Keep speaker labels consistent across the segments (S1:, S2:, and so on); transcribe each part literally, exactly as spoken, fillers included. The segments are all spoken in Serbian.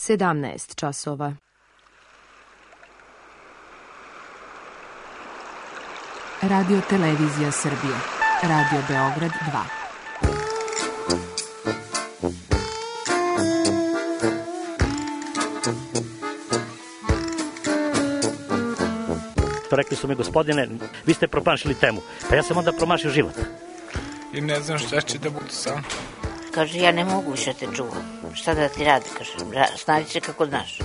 S1: sedamnaest časova. Radio Televizija Srbije. Radio Beograd dva.
S2: Rekli su mi, gospodine, vi ste promašili temu. Pa ja sam onda promašio život.
S3: I ne znam šta će da budu sam.
S4: Kaže, ja ne mogu više te čuvam. Šta da ti radi, kaže, snađi se kako znaš.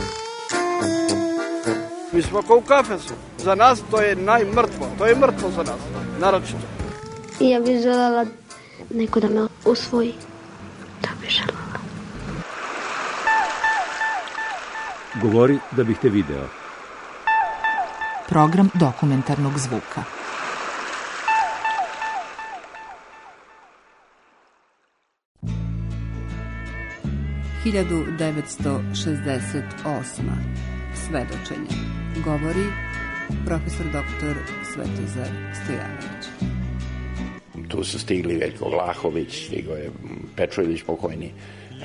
S5: Mi smo kao u kafesu. Za nas to je najmrtvo. To je mrtvo za nas, naročito.
S6: Ja bih željela neko da me usvoji. To bih željela.
S7: Govori da bih te video.
S1: Program dokumentarnog zvuka.
S8: hiljadu devetsto šezdeset osma. Svedočenje. Govori profesor doktor Svetozar Stojanović.
S9: Tu su stigli Veljko Vlahović, stigao je Pečović pokojni,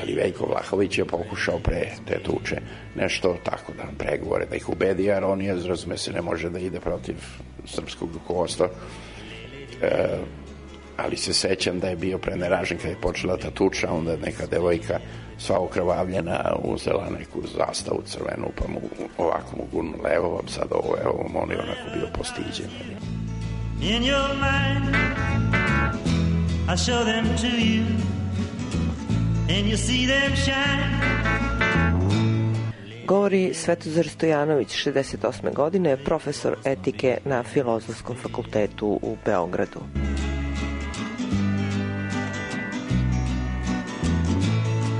S9: ali Veljko Vlahović je pokušao pre te tuče nešto tako da pregovore, da ih ubedi, jer on je, razume se, ne može da ide protiv srpskog rukovodstva. E, ali se sećam da je bio preneražen kada je počela ta tuča, onda je neka devojka sva okrvavljena uzela neku zastavu crvenu, pa mu ovako mu gurnula, evo vam sad ovo, evo vam, on je onako bio postiđen. In your mind I show them to you and you see them shine.
S10: Govori Svetozar Stojanović, šezdeset osme godine, profesor etike na Filozofskom fakultetu u Beogradu.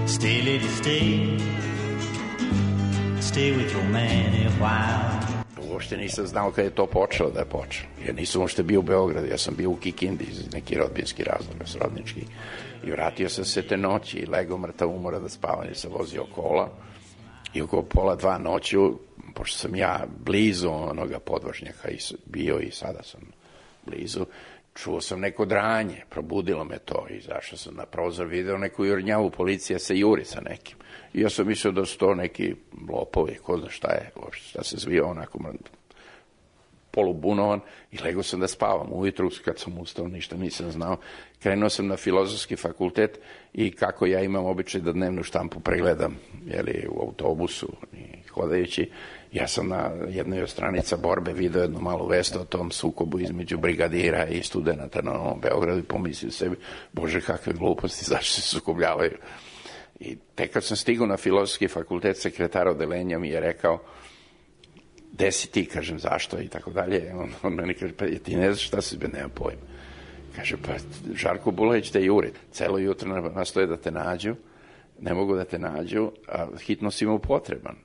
S11: Stay, lady, stay. Stay with your man a while.
S9: Uopšte nisam znao kada je to počelo da je počelo. Ja nisam uopšte bio u Beogradu, ja sam bio u Kikindi iz neki rodbinski razlog, srodnički. I vratio sam se te noći i legao mrtav umora da spavam, jer sam vozio kola. I oko pola dva noću, pošto sam ja blizu onoga podvožnjaka bio i sada sam blizu, čuo sam neko dranje, probudilo me to i zašao sam na prozor, video neku jurnjavu, policija se juri sa nekim. I ja sam mislio da su to neki lopovi, ko zna šta je, šta se zvio onako polubunovan i legao sam da spavam. Ujutru kad sam ustao ništa nisam znao. Krenuo sam na Filozofski fakultet i kako ja imam običaj da dnevnu štampu pregledam, jeli, u autobusu i hodajući, ja sam na jednoj od stranica Borbe video jednu malu vest o tom sukobu između brigadira i studenta na Novom Beogradu i pomislio sebi, bože kakve gluposti, zašto se sukobljavaju. I tek kad sam stigao na Filozofski fakultet, sekretar odeljenja mi je rekao, gde si ti, kažem, zašto i tako dalje. On, on meni kaže, pa ti ne znaš šta si, be, nema pojma. Kaže, pa Žarko Bulović te juri, celo jutro nastoje da te nađu, ne mogu da te nađu, a hitno si mu potreban,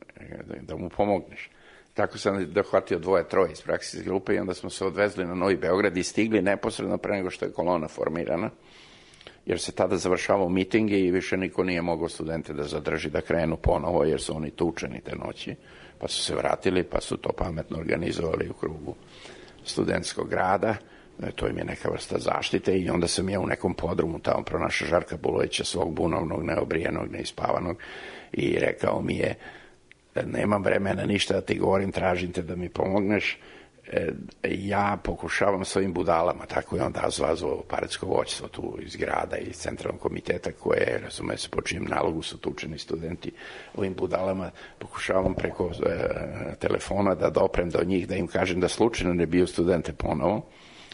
S9: da, da mu pomogneš. Tako sam dohvatio dvoje, troje iz praksijske grupe i onda smo se odvezli na Novi Beograd i stigli neposredno pre nego što je kolona formirana, jer se tada završavao miting i više niko nije mogao studente da zadrži da krenu ponovo, jer su oni tučeni te noći, pa su se vratili, pa su to pametno organizovali u krugu studentskog grada. To im je neka vrsta zaštite i onda sam ja u nekom podrumu tamo pronašao Žarka Bulovića, svog bunovnog, neobrijenog, neispavanog, i rekao mi je, nemam vremena ništa da ti govorim, tražim te da mi pomogneš, ja pokušavam s ovim budalama, tako je onda zvazvao paretsko voćstvo tu iz grada i iz centralnog komiteta koje, razume se, po čijem nalogu su tučeni studenti, ovim budalama pokušavam preko e, telefona da doprem do njih, da im kažem da slučajno ne bio studente ponovo.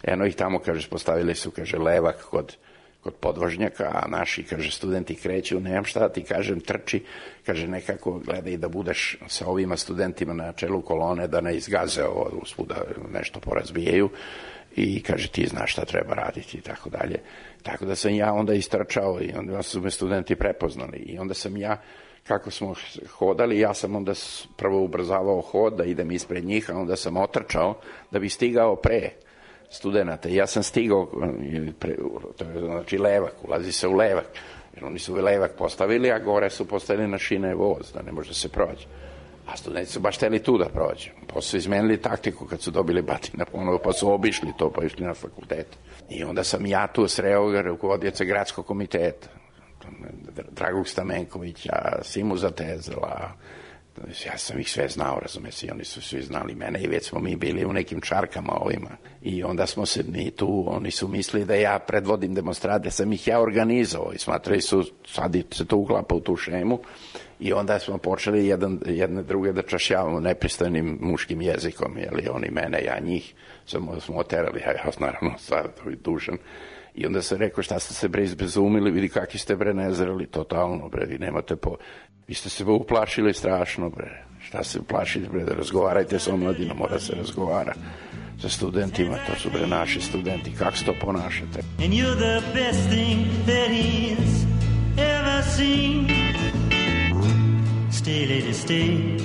S9: Eno ih tamo, kaže, postavili su, kaže, levak kod, kod podvožnjaka, a naši, kaže, studenti kreću, nemam šta da ti kažem, trči, kaže, nekako gledaj da budeš sa ovima studentima na čelu kolone, da ne izgaze ovo, usput da nešto porazbijaju i, kaže, ti znaš šta treba raditi i tako dalje. Tako da sam ja onda istrčao i onda su me studenti prepoznali i onda sam ja, kako smo hodali, ja sam onda prvo ubrzavao hod da idem ispred njih, a onda sam otrčao da bi stigao pre studenta. Ja sam stigao, to je znači levak, ulazi se u levak, jer oni su levak postavili, a gore su postavili na šine voz, da ne može da se prođe. A studenti su baš hteli tu da prođe. Pa su izmenili taktiku kad su dobili batina ponovo, pa su obišli to, pa išli na fakultet. I onda sam ja tu sreo rukovodioca gradskog komiteta. Dragog Stamenkovića, Simu Zatezela, ja sam ih sve znao, razume se, i oni su svi znali mene i već smo mi bili u nekim čarkama ovima. I onda smo se mi tu, oni su mislili da ja predvodim demonstrate, sam ih ja organizovao i smatrali su, sad se to uklapa u tu šemu i onda smo počeli jedan, jedne druge da čašljavamo nepristojnim muškim jezikom, jeli oni mene, ja njih, samo smo oterali, ja, ja naravno sad dužan. I onda se rekao, šta ste se bre izbezumili, vidi kakvi ste bre nezreli, totalno bre, vi nemate po... Vi ste se uplašili strašno bre, šta se uplašili bre, da razgovarajte sa omladinom, mora se razgovara sa studentima, to su bre naši studenti, kako se to ponašate?
S11: And you're the best thing that he's ever seen. Stay lady, stay,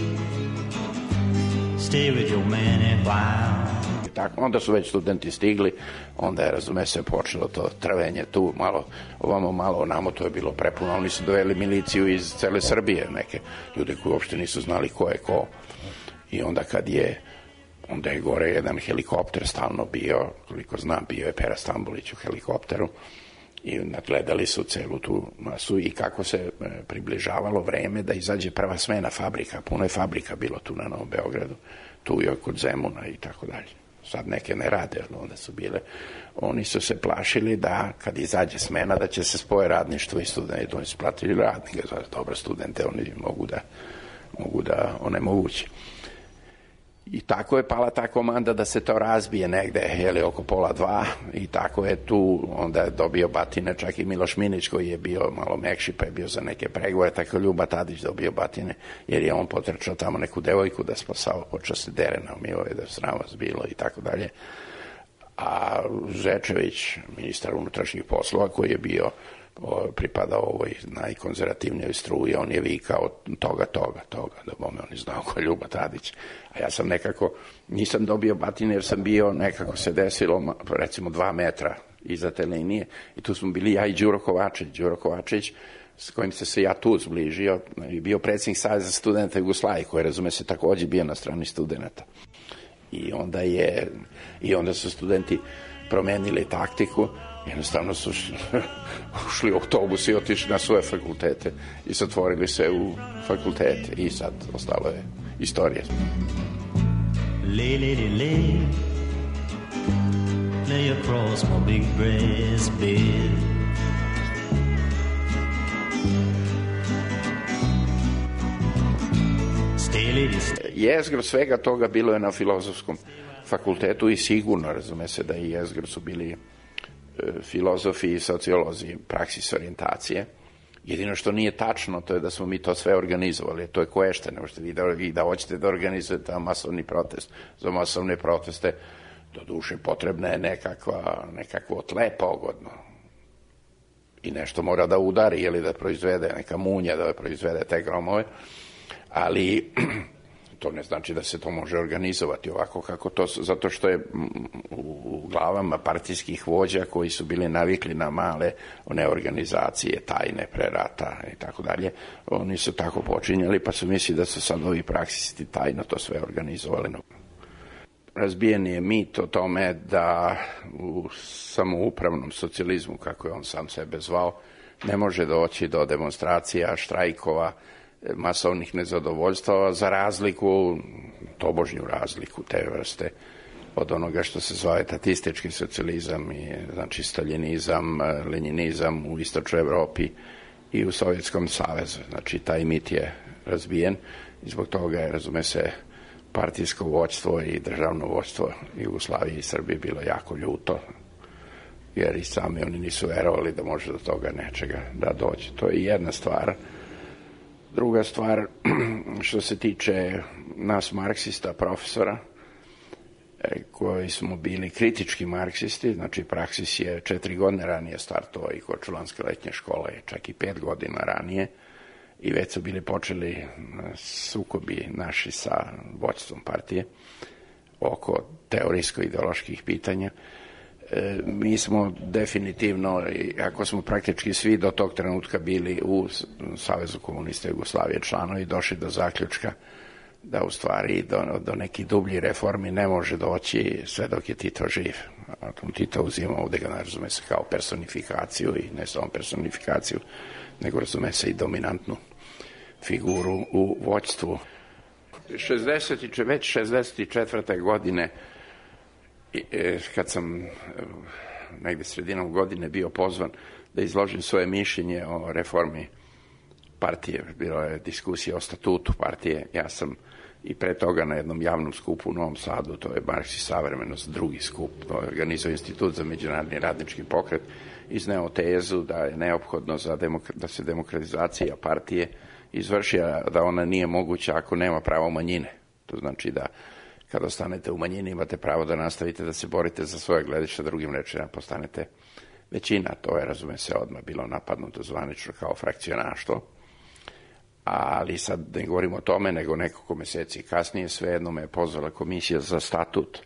S11: stay with your man a while.
S9: Tako, onda su već studenti stigli, onda je, razume se, počelo to trvenje tu, malo ovamo, malo onamo, to je bilo prepuno. Oni su doveli miliciju iz cele Srbije, neke ljude koji uopšte nisu znali ko je ko. I onda kad je, onda je gore jedan helikopter stalno bio, koliko znam, bio je Pera Stambolić u helikopteru i nadgledali su celu tu masu i kako se približavalo vreme da izađe prva smena fabrika, puno je fabrika bilo tu na Novom Beogradu, tu je kod Zemuna i tako dalje. Sad neke ne rade, ali onda su bile, oni su se plašili da kad izađe smena da će se spoje radništvo i studenti, oni su platili radnike, dobro studente, oni mogu da, mogu da onemoguće. I tako je pala ta komanda da se to razbije negde, jeli, oko pola dva i tako je tu, onda je dobio batine, čak i Miloš Minić koji je bio malo mekši pa je bio za neke pregovore, tako je Ljuba Tadić dobio batine, jer je on potrčao tamo neku devojku da spasao, počeo se derena, umio je da sravac bilo i tako dalje. A Žečević, ministar unutrašnjih poslova koji je bio pripadao ovoj najkonzervativnijoj struji, on je vikao toga, toga, toga, da bome on je znao ko je Ljuba Tadić. A ja sam nekako, nisam dobio batine jer sam bio, nekako se desilo, recimo dva metra iza te linije i tu smo bili ja i Đuro Kovačić. Đuro Kovačić, s kojim se se ja tu zbližio, i bio predsjednik Saveza studenta Jugoslavije, koji, razume se, takođe bio na strani studenta. I onda je, i onda su studenti promenili taktiku, jednostavno su ušli u autobus i otišli na svoje fakultete i zatvorili se u fakultete i sad ostalo je istorija.
S11: Lay, lady, lay, lay across my big brass bed. Stay, lady, stay.
S9: Jezgro svega toga bilo je na Filozofskom fakultetu i sigurno, razume se, da i jezgro su bili filozofi i sociolozi praksis orijentacije. Jedino što nije tačno, to je da smo mi to sve organizovali. To je koješta, ne možete vi da, vi da hoćete da organizujete masovni protest. Za masovne proteste do duše potrebna je nekakva, nekakvo tle pogodno. I nešto mora da udari ili da proizvede neka munja, da proizvede te gromove. Ali to ne znači da se to može organizovati ovako kako to, zato što je u glavama partijskih vođa koji su bili navikli na male one organizacije, tajne pre rata i tako dalje, oni su tako počinjali pa su mislili da su sad ovi praksisti tajno to sve organizovali. Razbijen je mit o tome da u samoupravnom socijalizmu, kako je on sam sebe zvao, ne može doći do demonstracija, štrajkova, masovnih nezadovoljstava, za razliku, tobožnju razliku te vrste od onoga što se zove tatistički socijalizam, i, znači staljinizam, lenjinizam u istočnoj Evropi i u Sovjetskom savezu. Znači taj mit je razbijen i zbog toga je, razume se, partijsko vođstvo i državno vođstvo Jugoslavije i Srbije bilo jako ljuto, jer i sami oni nisu verovali da može do toga nečega da dođe. To je jedna stvar. Druga stvar, što se tiče nas marksista, profesora, koji smo bili kritički marksisti, znači Praksis je četiri godine ranije startovao i Korčulanske letnje škole, čak i pet godina ranije, i već su bili počeli sukobi naši sa vođstvom partije oko teorijsko-ideoloških pitanja. Mi smo definitivno, ako smo praktički svi do tog trenutka bili u Savezu komunista Jugoslavije članovi, došli do zaključka da u stvari do, do nekih dublji reformi ne može doći sve dok je Tito živ. A Tito uzima ovde ga, razume se, kao personifikaciju i ne samo personifikaciju nego razume se i dominantnu figuru u vođstvu. šezdeset, već šezdeset četvrte godine, kad sam negde sredinom godine bio pozvan da izložim svoje mišljenje o reformi partije, bilo je diskusija o statutu partije, ja sam i pre toga na jednom javnom skupu u Novom Sadu, to je Marks i savremenost, drugi skup, to je organizao Institut za međunarodni radnički pokret, izneo tezu da je neophodno za demokra- da se demokratizacija partije izvrši, da ona nije moguća ako nema pravo manjine. To znači da kada ostanete u manjini imate pravo da nastavite da se borite za svoje gledište, drugim rečima postanete većina. To je, razume se, odmah bilo napadnuto zvanično kao frakcionaštvo. Ali sad ne govorimo o tome, nego nekoliko meseci kasnije svejedno me je pozvala komisija za statut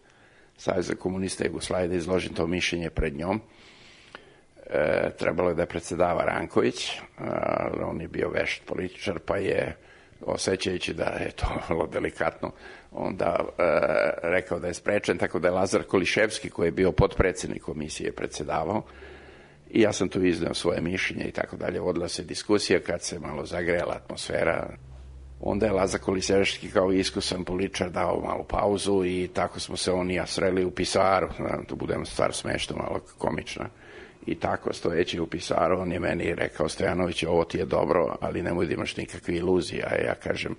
S9: Saveza komunista Jugoslavije da izložim to mišljenje pred njom. E, trebalo je da je predsedava Ranković, ali on je bio vešt političar, pa je, osjećajući da je to vrlo delikatno, onda e, rekao da je sprečen, tako da je Lazar Koliševski, koji je bio potpredsednik komisije, predsedavao. I ja sam tu izneo svoje mišljenje i tako dalje. Vodila se diskusija, kad se malo zagrela atmosfera. Onda je Lazar Koliševski kao iskusan političar dao malu pauzu i tako smo se on i ja sreli u pisaru. Tu budemo stvar smešno, malo komična. I tako, stojeći u pisaru, on je meni rekao: Stojanović, ovo ti je dobro, ali nemoj da imaš nikakve iluzije. A ja kažem: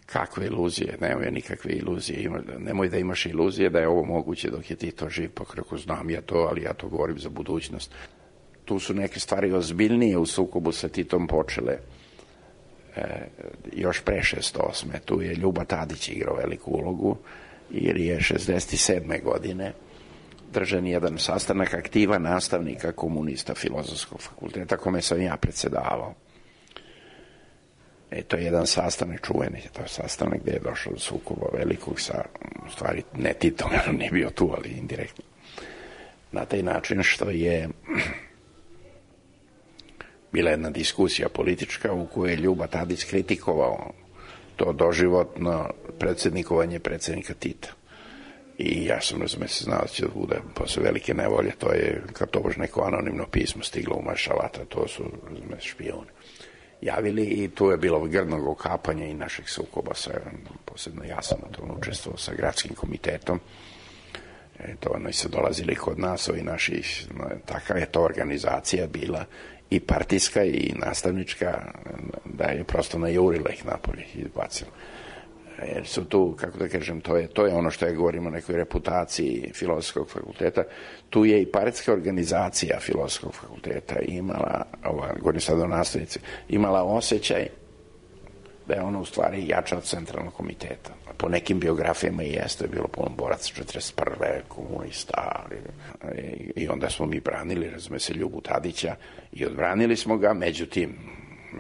S9: kakve iluzije? Nemoj nikakve iluzije. Nemoj da imaš iluzije da je ovo moguće dok je Tito živ, pa kako znam ja to, ali ja to govorim za budućnost. Tu su neke stvari ozbiljnije u sukobu sa Titom počele e, još pre šezdeset osme. Tu je Ljuba Tadić igrao veliku ulogu, jer je šezdeset sedme godine držan jedan sastanak aktiva nastavnika komunista Filozofskog fakulteta, kome sam ja predsedavao. E, to je jedan sastanak čuveni, to je sastanak gde je došlo do sukoba velikog sa, u stvari, ne Titom, jer on nije bio tu, ali indirektno. Na taj način što je bila jedna diskusija politička u kojoj je Ljuba Tadić kritikovao to doživotno predsednikovanje predsednika Tita. I ja sam, razume se, znao da će da bude posle velike nevolje, to je kao to bož neko anonimno pismo stiglo u Maršalata, to su, razume, špijuni javili i tu je bilo grdnog okapanja i naših sukoba sa, posebno ja sam u tom učestvovao sa gradskim komitetom. E, to ono i se dolazili kod nas, ovi naši, takva je to organizacija bila i partijska i nastavnička, da je prosto najurila ih napolje i izbacila. Jer su tu, kako da kažem, to je, to je ono što je govorimo o nekoj reputaciji Filozofskog fakulteta. Tu je i partijska organizacija Filozofskog fakulteta imala, ova, govorim sad o nastavnici, imala osjećaj da je ono u stvari jača od centralnog komiteta. Po nekim biografijama i jeste je bilo puno boraca četrdeset prve komunista, ali, i onda smo mi branili, razume se, Ljubu Tadića i odbranili smo ga, međutim,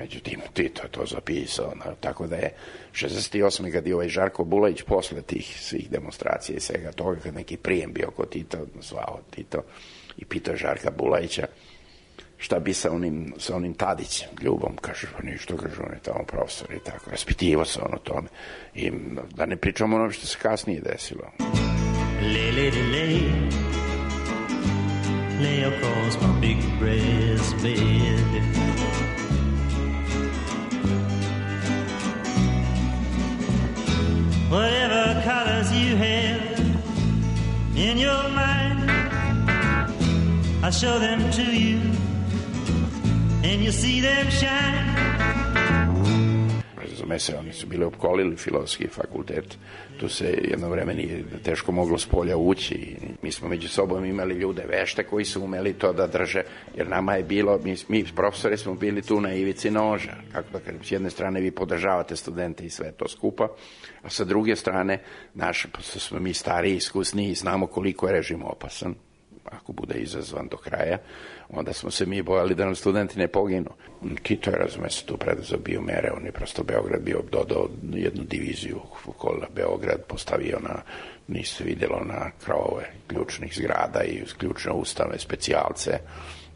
S9: Međutim, Tito je to zapisao, no, tako da je šezdeset osme kad je ovaj Žarko Bulajić posle tih svih demonstracija i svega toga, kad neki prijem bio kod Tita, zvao Tito i pitao Žarka Bulajića šta bi sa onim, sa onim Tadićem, Ljubom, kaže, pa ništa, kaže, on je tamo profesor i tako, raspitivo se on o tome. I da ne pričamo ono što se kasnije desilo.
S11: Lay, lady, lay, lay across my big breast bed. Whatever colors you have in your mind, I'll show them to you, and you'll see them shine.
S9: Razume se, oni su bili opkolili Filozofski fakultet. Tu se jedno vreme nije teško moglo s polja ući. Mi smo među sobom imali ljude vešte koji su umeli to da drže, jer nama je bilo, mi, mi profesori smo bili tu na ivici noža. Kako da kažem, s jedne strane vi podržavate studente i sve to skupa, a sa druge strane, naši, pošto smo mi stariji, iskusniji, znamo koliko je režim opasan, ako bude izazvan do kraja, onda smo se mi bojali da nam studenti ne poginu. Tito je, razume se, tu preduzeo bio mere, on je prosto Beograd bio dodao jednu diviziju okola Beograd, postavio na, niste vidjelo, na krovove ključnih zgrada i ključne ustanove, specijalce,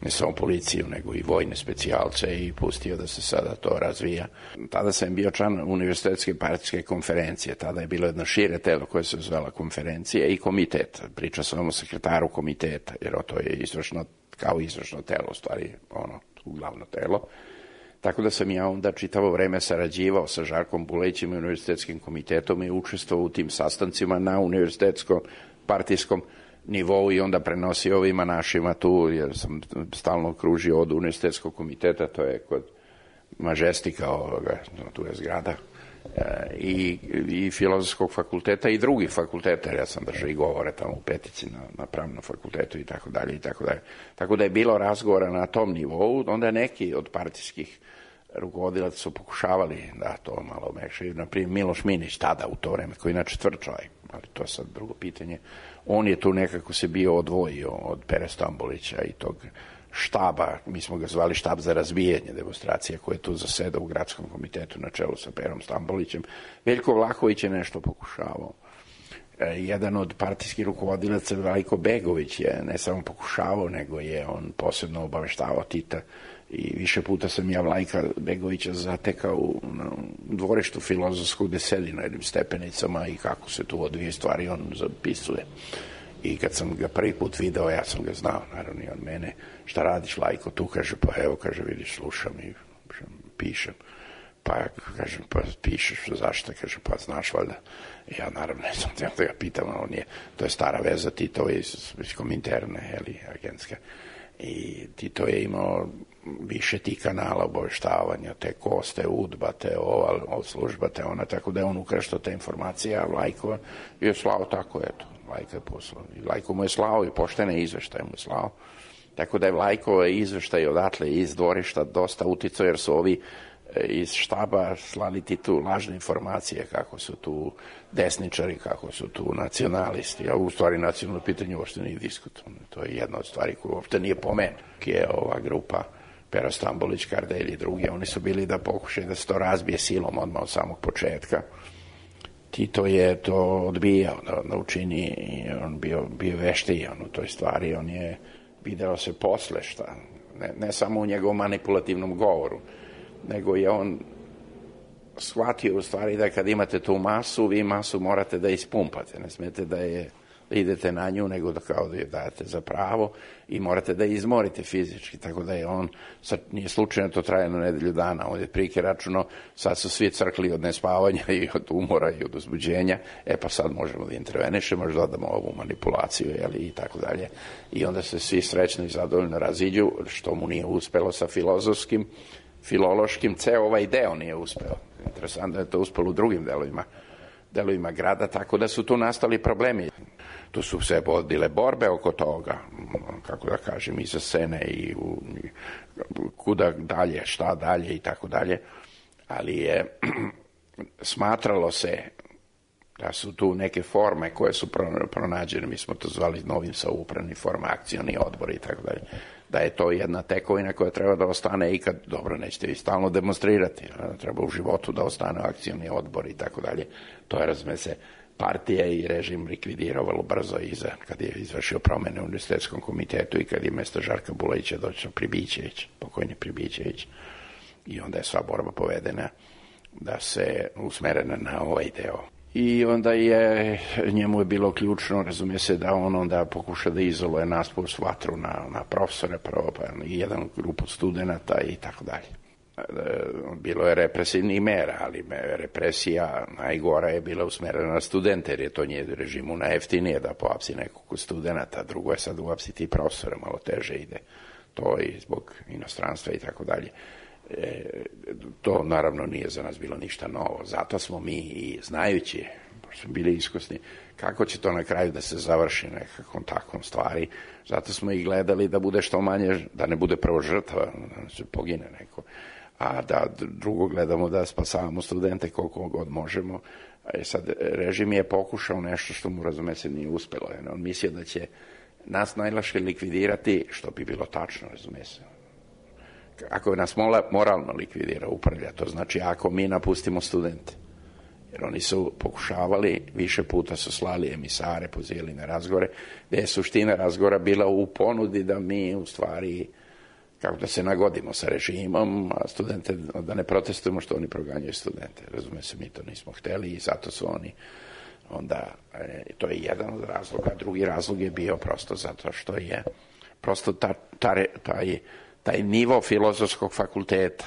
S9: ne samo policiju, nego i vojne specijalce i pustio da se sada to razvija. Tada sam bio član Univerzitetske partijske konferencije, tada je bilo jedno šire telo koje se zvala konferencija i komitet. Priča sam o sekretaru komiteta, jer to je izvršno, kao izvršno telo, u stvari, ono, glavno telo. Tako da sam ja onda čitavo vreme sarađivao sa Žarkom Bulejićem i univerzitetskim komitetom i učestvovao u tim sastancima na univerzitetskom partijskom nivou i onda prenosio ovima našima tu, jer sam stalno kružio od univerzitetskog komiteta, to je kod Mažestika, ovoga, tu je zgrada, i, i filozofskog fakulteta i drugih fakulteta, jer ja sam držao i govore tamo u Petici na, na pravnom fakultetu i tako dalje i tako dalje. Tako da je bilo razgovora na tom nivou, onda neki od partijskih rukovodilaca su pokušavali da to malo mekše. Naprimjer, Miloš Minić, tada u to vreme, koji je inače tvrd čovjek, ali to je sad drugo pitanje, on je tu nekako se bio odvojio od Pere Stambolića i tog štaba, mi smo ga zvali štab za razbijanje demonstracije, koje je tu zaseda u gradskom komitetu na čelu sa Perom Stambolićem. Veljko Vlahović je nešto pokušavao. E, jedan od partijskih rukovodilaca, Vlajko Begović, je ne samo pokušavao, nego je on posebno obaveštavao Tita i više puta sam ja Vlajka Begovića zatekao u, u dvorištu filozofskog gde sedi na jednim stepenicama i kako se tu odvije stvari on zapisuje. I kad sam ga prvi put video, ja sam ga znao, naravno i on mene, šta radiš, Lajko, tu, kaže, pa evo, kaže, vidiš, slušam i pišem. Pa, kaže, pa pišeš, zašto, kaže, pa znaš, valjda. I ja, naravno, ne sam da ga pitam, on je, to je stara veza Tito iz, iz Kominterne, jeli, agentska. I Tito je imao više ti kanala obaveštavanja, te Kos, te Udba, te ova služba, te ona, tako da je on ukraštao te informacije, a Lajko je slao tako, eto. Lajko je poslao. I Lajko mu je slao i poštene izveštaje mu je slao. Tako da je Lajko izveštaj odatle iz dvorišta dosta uticao, jer su ovi iz štaba slali ti tu lažne informacije kako su tu desničari, kako su tu nacionalisti. A u stvari nacionalno pitanje uopšte nije diskutovano. To je jedna od stvari koja uopšte nije pomen. Je ova grupa Pera Stambolić, Kardelj i drugi, oni su bili da pokušaju da se to razbije silom odmah od samog početka. Tito je to odbijao da, da učini i on bio, bio veštiji on u toj stvari, on je video se posle šta, ne, ne samo u njegovom manipulativnom govoru, nego je on shvatio u stvari da kad imate tu masu, vi masu morate da ispumpate, ne smete da je da idete na nju, nego da kao da je dajete za pravo i morate da je izmorite fizički, tako da je on, sad nije slučajno to traje na nedelju dana, on je prike računo, sad su svi crkli od nespavanja i od umora i od uzbuđenja, e pa sad možemo da intervenišemo, možda dodamo ovu manipulaciju, jeli, i tako dalje. I onda se svi srećno i zadovoljno raziđu, što mu nije uspelo sa filozofskim, filološkim, ceo ovaj deo nije uspeo. Interesantno je to uspelo u drugim delovima delovima grada, tako da su tu nastali problemi. Tu su se vodile borbe oko toga, kako da kažem, iza scene i u, kuda dalje, šta dalje i tako dalje, ali je smatralo se da su tu neke forme koje su pronađene, mi smo to zvali novim saupravni forma, akcioni odbori i tako dalje, da je to jedna tekovina koja treba da ostane i kad, dobro, nećete vi stalno demonstrirati, treba u životu da ostane akcioni odbor i tako dalje. To je, razume se, partija i režim likvidirao vrlo brzo iza, kad je izvršio promene u univerzitetskom komitetu i kad je mesto Žarka Bulejića došao Pribićević, pokojni Pribićević. I onda je sva borba povedena da se usmerena na ovaj deo. I onda je, njemu je bilo ključno, razumije se, da on onda pokuša da izoluje nas plus vatru na, na profesore prvo, pa i jedan grupu studenta i tako dalje. Bilo je represivnih mera, ali represija najgora je bila usmerena na studente, jer je to nje režimu najjeftinije da poapsi nekog studenta, drugo je sad uapsiti profesore, malo teže ide to i zbog inostranstva i tako dalje. E, to naravno nije za nas bilo ništa novo, zato smo mi i znajući, pošto smo bili iskusni, kako će to na kraju da se završi nekakvom takvom stvari, zato smo i gledali da bude što manje, da ne bude prvo žrtva, da se pogine neko, a da drugo gledamo da spasavamo studente koliko god možemo. E sad, režim je pokušao nešto što mu, razume se, nije uspelo. On mislio da će nas najlakše likvidirati, što bi bilo tačno, razume se. Ako nas moralno likvidira, upravlja, to znači ako mi napustimo studente. Jer oni su pokušavali, više puta su slali emisare, pozivali na razgovore, gde je suština razgovora bila u ponudi da mi u stvari, kako da se nagodimo sa režimom, a studente, da ne protestujemo što oni proganjaju studente. Razume se, mi to nismo hteli i zato su oni onda, e, to je jedan od razloga. Drugi razlog je bio prosto zato što je prosto ta, ta, taj taj nivo filozofskog fakulteta,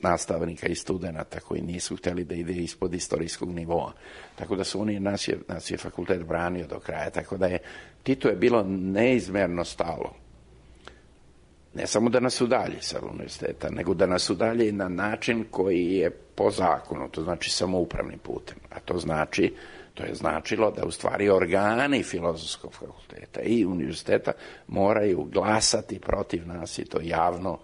S9: nastavnika i studenta koji nisu htjeli da ide ispod istorijskog nivoa. Tako da su oni, nas je, nas je fakultet branio do kraja, tako da je Titu je bilo neizmerno stalo. Ne samo da nas udalji sa univerziteta, nego da nas udalji na način koji je po zakonu, to znači samoupravnim putem. A to znači, to je značilo da u stvari organi filozofskog fakulteta i univerziteta moraju glasati protiv nas i to javno,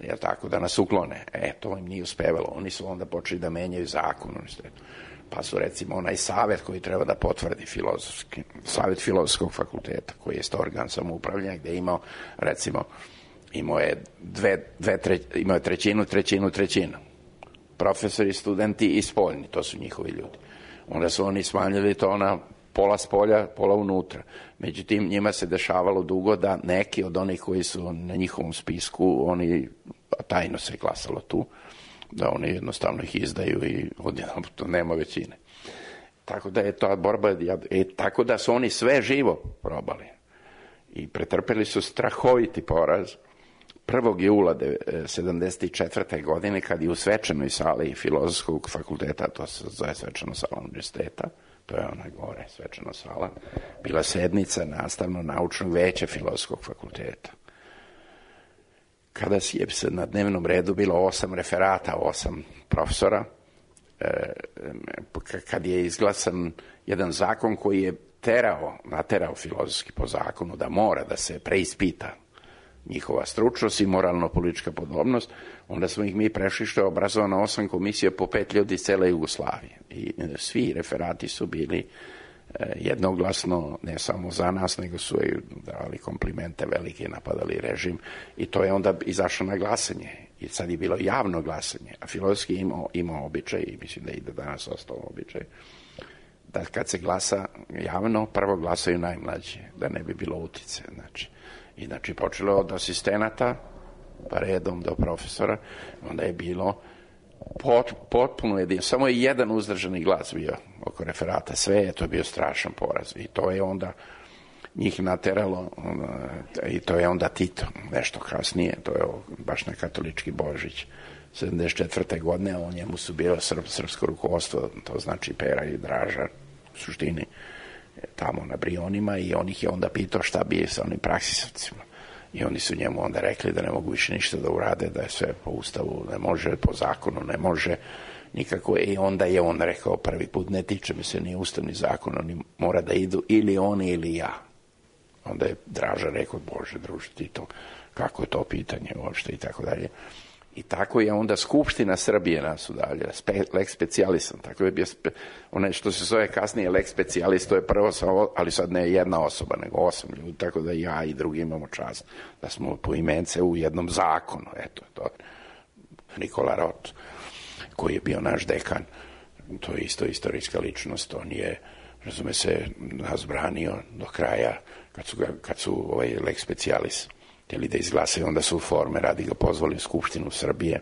S9: jer tako da nas uklone. E, to im nije uspevalo. Oni su onda počeli da menjaju zakon univerzitetu. Pa su recimo onaj savjet koji treba da potvrdi filozofski, savjet filozofskog fakulteta, koji je organ samoupravljanja, gde je imao, recimo, imao je, dve, dve tre, imao je trećinu, trećinu, trećinu. Profesori, studenti i spoljni, to su njihovi ljudi. Onda su oni smanjili to na pola spolja, pola unutra. Međutim, njima se dešavalo dugo da neki od onih koji su na njihovom spisku, oni, tajno se glasalo tu, da oni jednostavno ih izdaju i odjednom to nema većine. Tako da je ta borba, e, tako da su oni sve živo probali. I pretrpeli su strahoviti poraz prvog jula sedamdeset četvrte. godine, kad je u svečanoj sali filozofskog fakulteta, to se zove svečana sala univerziteta, to je ona gore, svečana sala, bila sednica nastavno-naučnog veća filozofskog fakulteta. Kada je se na dnevnom redu bilo osam referata, osam profesora, kad je izglasan jedan zakon koji je terao, naterao filozofski po zakonu da mora da se preispita njihova stručnost i moralno-politička podobnost, onda smo ih mi prešli što je obrazovano osam komisija po pet ljudi iz cele Jugoslavije. I svi referati su bili jednoglasno, ne samo za nas, nego su i davali komplimente velike, napadali režim i to je onda izašlo na glasanje. I sad je bilo javno glasanje, a filozofski imao, imao običaj, i mislim da je i danas ostao običaj, da kad se glasa javno, prvo glasaju najmlađi, da ne bi bilo utice. Znači, i znači počelo od asistenata, pa redom do profesora, onda je bilo pot, potpuno jedin, samo je jedan uzdržani glas bio oko referata, sve je to bio strašan poraz i to je onda njih nateralo i to je onda Tito, nešto kasnije, to je baš na katolički Božić sedamdeset četvrte. godine, o njemu su bilo srp, srpsko rukovodstvo, to znači Pera i Draža, u suštini tamo na Brionima, i on ih je onda pitao šta bi sa onim praksisovcima. I oni su njemu onda rekli da ne mogu više ništa da urade, da je sve po ustavu, ne može, po zakonu ne može nikako. I onda je on rekao prvi put, ne tiče mi se ni ustavni zakon, oni mora da idu ili oni ili ja. Onda je Draža rekao, Bože druže, ti to, kako je to pitanje uopšte i tako dalje. I tako je onda Skupština Srbije nas udalje, lex specialisam, tako je bio, spe, onaj što se zove kasnije lex specialist, to je prvo, ali sad ne jedna osoba, nego osam ljudi, tako da ja i drugi imamo čast da smo po imence u jednom zakonu, eto, to Nikola Rot, koji je bio naš dekan, to je isto istorijska ličnost, on je, razume se, nas branio do kraja, kad su, kad su ovaj lex specialis htjeli da izglasaju, onda su forme radi ga pozvali u Skupštinu Srbije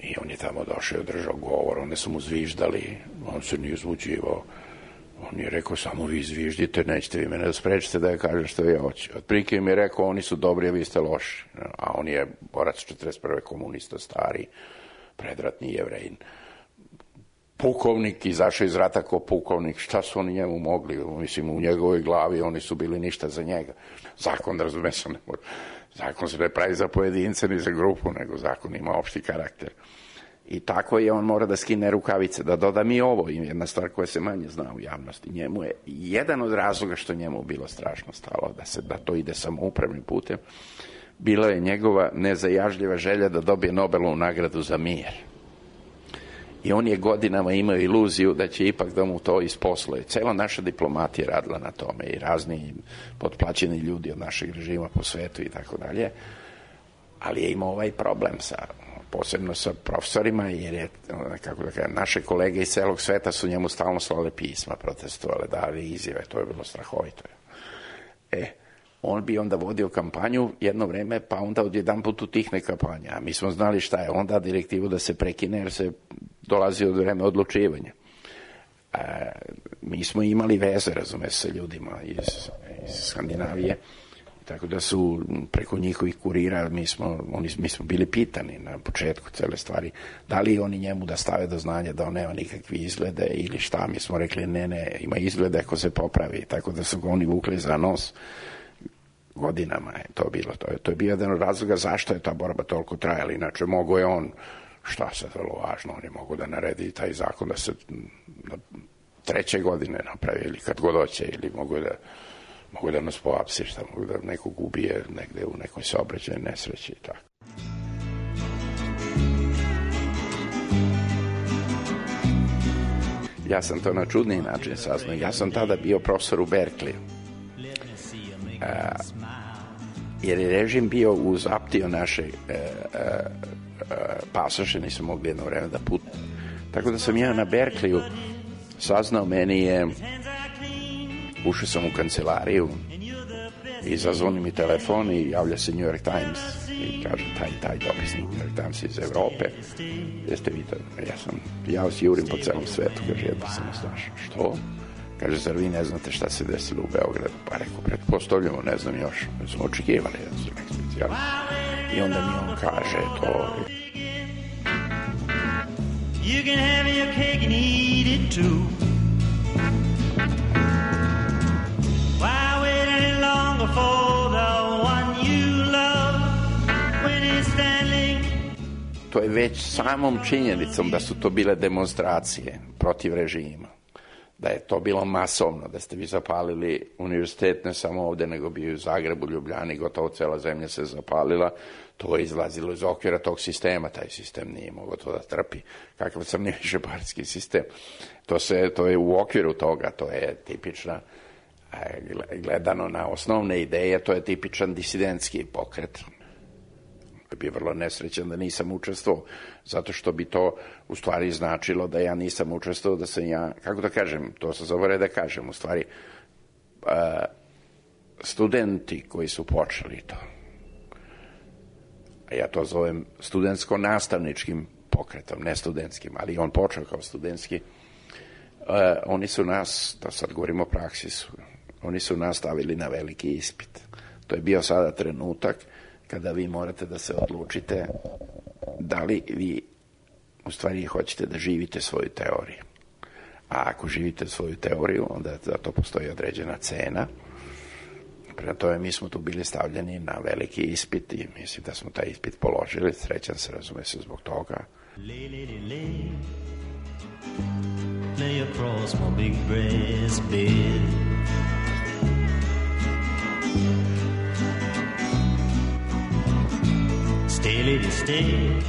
S9: i on je tamo došao i održao govor, onda su mu zviždali, on se nije uzbuđivao, on je rekao, samo vi zviždite, nećete vi mene da sprečite da ja kažem što ja hoću. Otprilike im je rekao, oni su dobri, a vi ste loši, a on je borac četrdeset prve komunista, stari, predratni Jevrejin, pukovnik, izašao iz rata kao pukovnik, šta su oni njemu mogli, mislim, u njegovoj glavi oni su bili ništa za njega. Zakon, razume se, ne može. Zakon se ne pravi za pojedince ni za grupu, nego zakon ima opšti karakter. I tako je, on mora da skine rukavice, da doda mi ovo, jedna stvar koja se manje zna u javnosti. Njemu je jedan od razloga što njemu bilo strašno stalo, da se da to ide samoupravnim putem, bila je njegova nezajažljiva želja da dobije Nobelovu nagradu za mir. I on je godinama imao iluziju da će ipak da mu to isposluje. Cela naša diplomatija radila na tome i razni potplaćeni ljudi od našeg režima po svetu i tako dalje. Ali je imao ovaj problem sa, posebno sa profesorima, jer je, kako da kažem, naše kolege iz celog sveta su njemu stalno slale pisma, protestovale, dali izjave, to je bilo strahovito. E, on bi onda vodio kampanju jedno vreme, pa onda odjedan put utihne kampanja. A mi smo znali šta je, onda direktivu da se prekine, jer se dolazi od vreme odlučivanja. E, mi smo imali veze, razume, sa ljudima iz, iz Skandinavije, Tako da su preko njihovih kurira, mi smo, oni, mi smo bili pitani na početku cele stvari, da li oni njemu da stave do znanja da on nema nikakvi izglede ili šta. Mi smo rekli ne, ne, ima izglede ako se popravi, tako da su ga oni vukli za nos. Godinama je to bilo. To je, to je bio jedan od razloga zašto je ta borba toliko trajala. Inače, mogo je on, šta se vrlo važno, on je mogo da naredi taj zakon da se na treće godine napravi ili kad god hoće, ili mogu da mogu da nas poapsi, šta mogu da nekog ubije negde u nekoj saobraćajnoj nesreći i tako. Ja sam to na čudni način saznao. Ja sam tada bio profesor u Berkeley. A, jer je režim bio uzaptio naše a, a, a, pasoše, nisam mogli jedno vreme da putujem. Tako da sam ja na Berkeleyu saznao, meni je, ušao sam u kancelariju i zazvoni mi telefon i javlja se New York Times i kaže taj, taj dopisnik New York Times iz Evrope. Jeste vi to? Ja sam, ja vas jurim po celom svetu, kaže, jednostavno znaš. Što? Kaže, zar vi ne znate šta se desilo u Beogradu? Pa rekao, pretpostavljamo, ne znam još. Mi smo očekivali da su nek specijalisti. I onda mi on kaže to.
S11: You can have your cake and eat it too. Why wait any longer for the one you love when he's standing?
S9: To je već samom činjenicom da su to bile demonstracije protiv režima. Da je to bilo masovno, da ste vi zapalili univerzitet ne samo ovde, nego bi u Zagrebu, Ljubljani, gotovo cela zemlja se zapalila. To je izlazilo iz okvira tog sistema, taj sistem nije mogao to da trpi. Kakav crni višepartijski sistem. To, se, to je u okviru toga, to je tipična, gledano na osnovne ideje, to je tipičan disidentski pokret. Bi vrlo nesrećan da nisam učestvovao, zato što bi to u stvari značilo da ja nisam učestvovao, da sam ja, kako da kažem, to se zove da kažem, u stvari, uh, studenti koji su počeli to, a ja to zovem studentsko-nastavničkim pokretom, ne studentskim, ali on počeo kao studentski, uh, oni su nas, da sad govorimo o praksi, su, oni su nas stavili na veliki ispit. To je bio sada trenutak kada vi morate da se odlučite da li vi u stvari hoćete da živite svoju teoriju. A ako živite svoju teoriju, onda za to postoji određena cena. Prema tome, mi smo tu bili stavljeni na veliki ispit i mislim da smo taj ispit položili. Srećan se, razume se zbog toga.
S11: Lay, lady, lay. Lay across my big breast bed. Stay, lady, stay.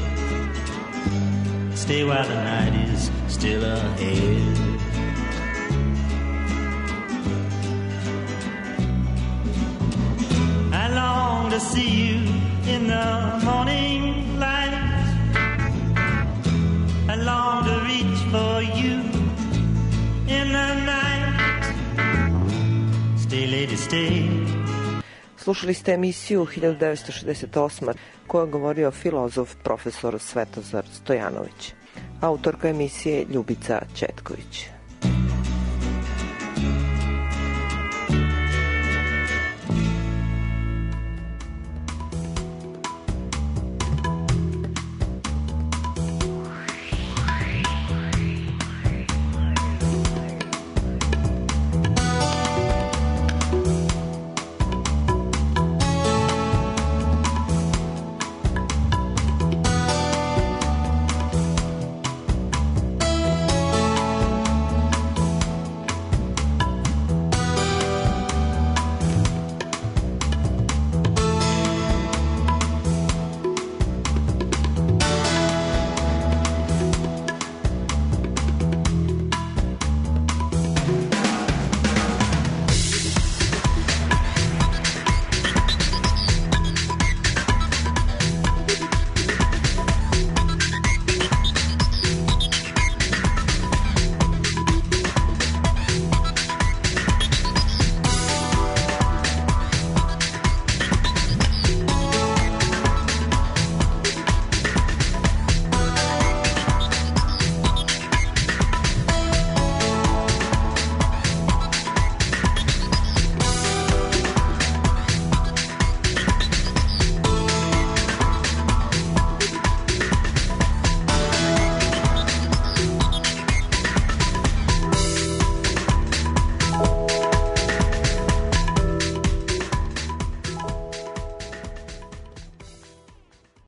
S11: Stay while the night is still ahead. I long to see you in the morning light. I long to reach for you in the night. Stay, lady, stay.
S10: Slušali ste emisiju hiljadu devetsto šezdeset osme. koja je govorio filozof profesor Svetozar Stojanović. Autorka emisije Ljubica Četković.